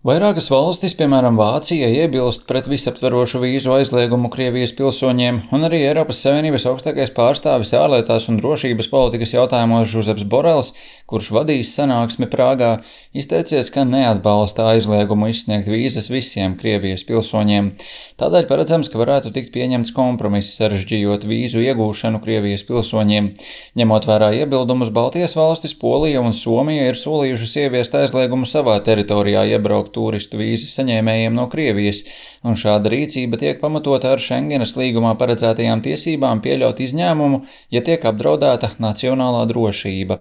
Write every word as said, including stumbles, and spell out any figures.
Vairākas valstis, piemēram, Vācija, iebilst pret visaptverošu vīzu aizliegumu Krievijas pilsoņiem, un arī Eiropas Savienības augstākais pārstāvis ārlietās un drošības politikas jautājumos Žuzeps Borels, kurš vadīs sanāksmi Prāgā, izteicies, ka neatbalsta aizliegumu izsniegt vīzas visiem Krievijas pilsoņiem. Tādēļ paredzams, ka varētu tikt pieņemts kompromiss, sarežģījot vīzu iegūšanu Krievijas pilsoņiem. Ņemot vērā iebildumus, Baltijas valstis, Polija un Somija ir solījušas ieviest aizliegumu savā teritorijā iebraukt turistu vīzas saņēmējiem no Krievijas, un šāda rīcība tiek pamatota ar Šengenas līgumā paredzētajām tiesībām pieļaut izņēmumu, ja tiek apdraudēta nacionālā drošība.